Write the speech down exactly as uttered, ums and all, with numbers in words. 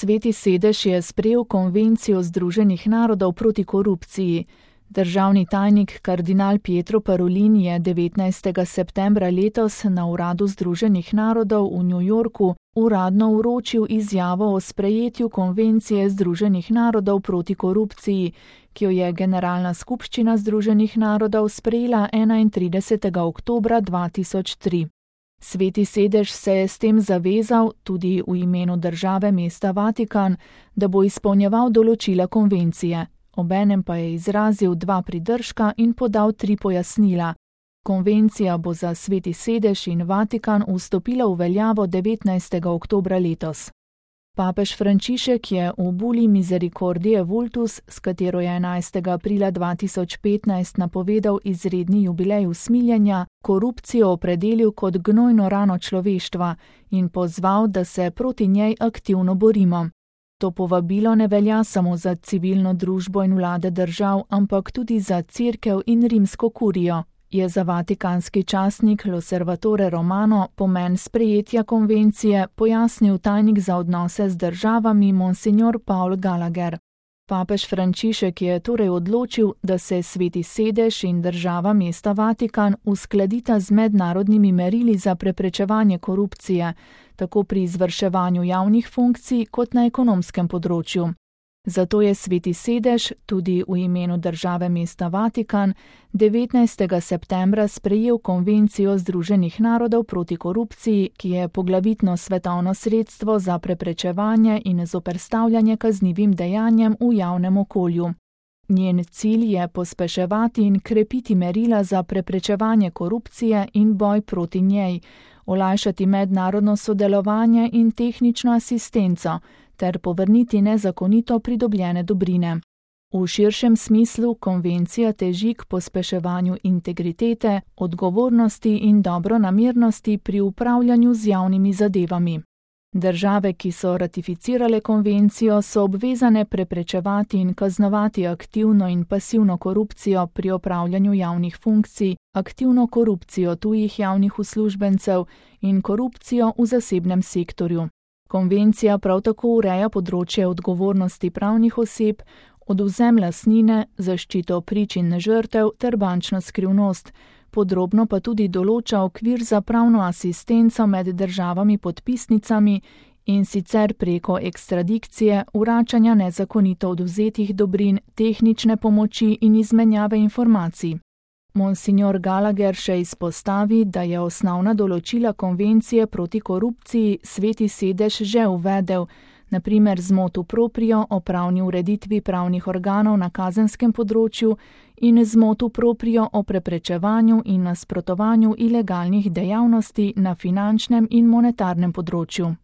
Sveti sedež je sprejel konvencijo Združenih narodov proti korupciji. Državni tajnik kardinal Pietro Parolin je devetnajstega septembra letos na uradu Združenih narodov v New Yorku uradno vročil izjavo o sprejetju konvencije Združenih narodov proti korupciji, ki jo je Generalna skupščina Združenih narodov sprejela enaintridesetega oktobra dva tisoč tri. Sveti sedež se je s tem zavezal, tudi v imenu države mesta Vatikan, da bo izpolnjeval določila konvencije. Obenem pa je izrazil dva pridržka in podal tri pojasnila. Konvencija bo za Sveti sedež in Vatikan vstopila v veljavo devetnajstega oktobra letos. Papež Frančišek je v buli Misericordiae Vultus, s katero je enajstega aprila dva tisoč petnajst napovedal izredni jubilej usmiljenja, korupcijo opredelil kot gnojno rano človeštva in pozval, da se proti njej aktivno borimo. To povabilo ne velja samo za civilno družbo in vlade držav, ampak tudi za Cerkev in rimsko kurijo, je za vatikanski časnik L'Osservatore Romano pomen sprejetja konvencije pojasnil tajnik za odnose z državami Monsignor Paul Gallagher. Papež Frančišek je torej odločil, da se Sveti sedež in država mesta Vatikan uskladita z mednarodnimi merili za preprečevanje korupcije, tako pri izvrševanju javnih funkcij kot na ekonomskem področju. Zato je Sveti sedež, tudi v imenu države mesta Vatikan, devetnajstega septembra sprejel konvencijo Združenih narodov proti korupciji, ki je poglavitno svetovno sredstvo za preprečevanje in zoperstavljanje kaznivim dejanjem v javnem okolju. Njen cilj je pospeševati in krepiti merila za preprečevanje korupcije in boj proti njej, olajšati mednarodno sodelovanje in tehnično asistenco, ter povrniti nezakonito pridobljene dobrine. V širšem smislu konvencija teži k pospeševanju integritete, odgovornosti in dobronamernosti pri upravljanju z javnimi zadevami. Države, ki so ratificirale konvencijo, so obvezane preprečevati in kaznovati aktivno in pasivno korupcijo pri opravljanju javnih funkcij, aktivno korupcijo tujih javnih uslužbencev in korupcijo v zasebnem sektorju. Konvencija prav tako ureja področje odgovornosti pravnih oseb, odvzem lastnine, zaščito prič in žrtev ter bančno skrivnost, podrobno pa tudi določa okvir za pravno asistenco med državami podpisnicami in sicer preko ekstradikcije, vračanja nezakonito odvzetih dobrin, tehnične pomoči in izmenjave informacij. Monsignor Gallagher še izpostavi, da je osnovna določila konvencije proti korupciji Sveti sedež že uvedel, na primer z motu proprio o pravni ureditvi pravnih organov na kazenskem področju in z motu proprio o preprečevanju in nasprotovanju ilegalnih dejavnosti na finančnem in monetarnem področju.